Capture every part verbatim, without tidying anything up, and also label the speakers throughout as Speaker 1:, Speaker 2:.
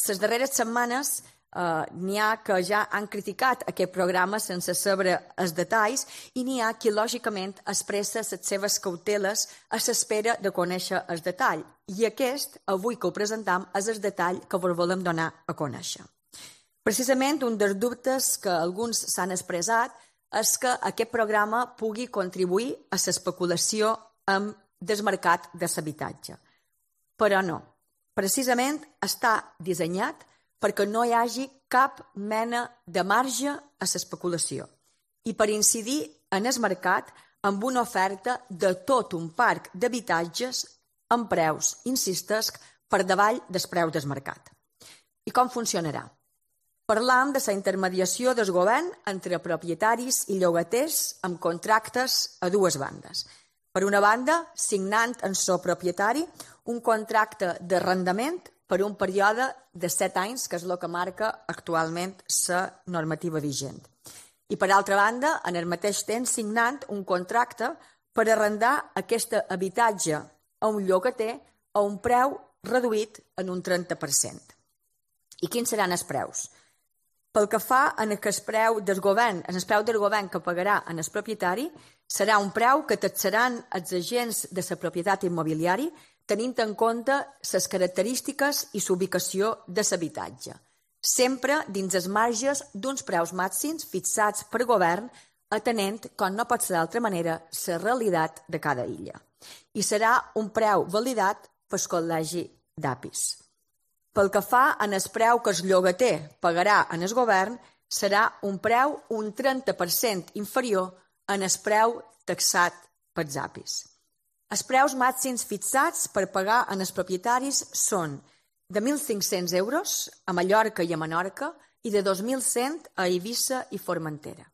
Speaker 1: Les darreres setmanes n'hi ha que ja han criticat aquest programa sense saber els detalls i n'hi ha qui, lògicament, expressa les seves cauteles a l'espera de conèixer el detall. I aquest, avui que ho presentam, és el detall que vos volem donar a conèixer. Precisament, un dels dubtes que alguns s'han expressat és que aquest programa pugui contribuir a l'especulació amb el mercat de l'habitatge. Però no. Precisament està dissenyat perquè no hi hagi cap mena de marge a l'especulació i per incidir en el mercat amb una oferta de tot un parc d'habitatges amb preus, insistesc, per davall del preu del mercat. I com funcionarà? Parlam de la intermediació del govern entre propietaris i llogaters amb contractes a dues bandes. Per una banda, signant en so propietari un contracte d'arrendament per un període de set anys, que és el que marca actualment la normativa vigent. I per altra banda, en el mateix temps, signant un contracte per arrendar aquest habitatge a un llogater a un preu reduït en un trenta per cent. I quins seran els preus? Pel que fa en el preu del govern, en el preu del govern que pagarà en el propietari, serà un preu que taxaran els agents de la propietat immobiliària tenint en compte les característiques i l'ubicació de l'habitatge, sempre dins els marges d'uns preus màxims fixats per govern, atenent, com no pot ser d'altra manera, la realitat de cada illa. I serà un preu validat pel Col·legi d'A P I S. Pel que fa en el preu que el llogater pagarà en el govern, serà un preu un trenta per cent inferior en el preu taxat pels A P I S. Els preus màxims fixats per pagar en els propietaris són de mil cinc-cents euros a Mallorca i a Menorca i de dos mil cent a Eivissa i Formentera.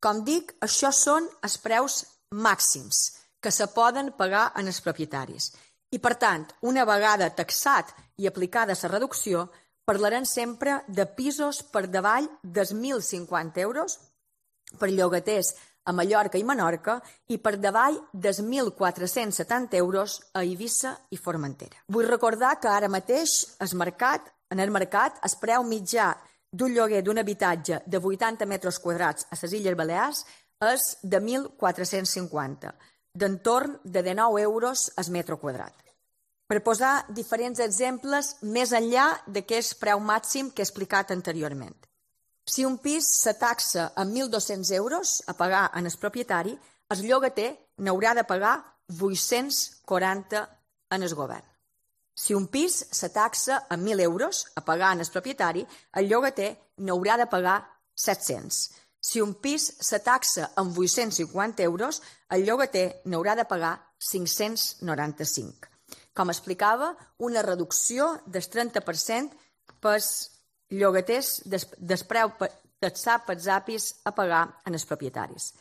Speaker 1: Com dic, això són els preus màxims que se poden pagar en els propietaris. I, per tant, una vegada taxat i aplicada la reducció, parlarem sempre de pisos per davall dels mil cinquanta euros per llogaters a Mallorca i Menorca i per davall dels mil quatre-cents setanta euros a Eivissa i Formentera. Vull recordar que ara mateix el mercat, en el mercat el preu mitjà d'un lloguer d'un habitatge de vuitanta metres quadrats a les Illes Balears és de mil quatre-cents cinquanta, d'entorn de dinou euros al metre quadrat. Per posar diferents exemples més enllà d'aquest preu màxim que he explicat anteriorment. Si un pis se taxa amb mil dos-cents euros a pagar en el propietari, el llogater n'haurà de pagar vuit-cents quaranta en el govern. Si un pis se taxa amb mil euros a pagar en el propietari, el llogater n'haurà de pagar set-cents. Si un pis se taxa amb vuit-cents cinquanta euros, el llogater n'haurà de pagar cinc-cents noranta-cinc. Com explicava, una reducció del trenta per cent pels llogaters del preu taxat pels A P I S a pagar en els propietaris.